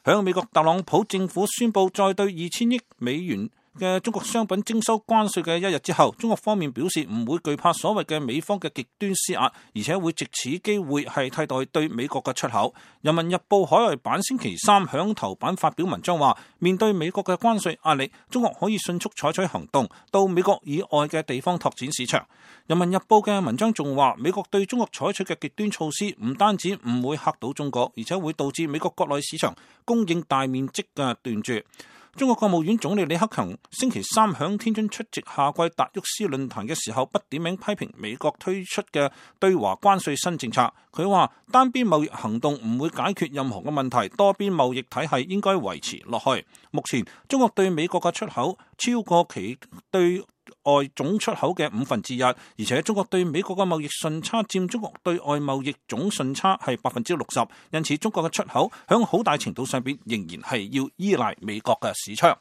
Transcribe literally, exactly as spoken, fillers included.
響美國特朗普政府宣布再對二千億美元嘅中國商品徵收關稅嘅一日之後，中國方面表示唔會懼怕所謂嘅美方嘅極端施壓，而且會藉此機會係替代對美國嘅出口。人民日報海外版星期三響頭版發表文章話，面對美國嘅關稅壓力，中國可以迅速採取行動，到美國以外嘅地方拓展市場。人民日報嘅文章仲話，美國對中國採取嘅極端措施唔單止唔會嚇到中國，而且會導致美國國內市場供應大面積嘅斷絕。中國國務院總理李克強星期三響天津出席夏季達沃斯論壇嘅時候，不點名批評美國推出嘅對華關稅新政策。佢話單邊貿易行動唔會解決任何嘅問題，多邊貿易體系應該維持落去。目前中國對美國嘅出口超過其對外總出口嘅五分之一，而且中國對美國嘅貿易順差佔中國對外貿易總順差係百分之六十，因此中國嘅出口響好大程度上邊仍然係要依賴美國嘅市場。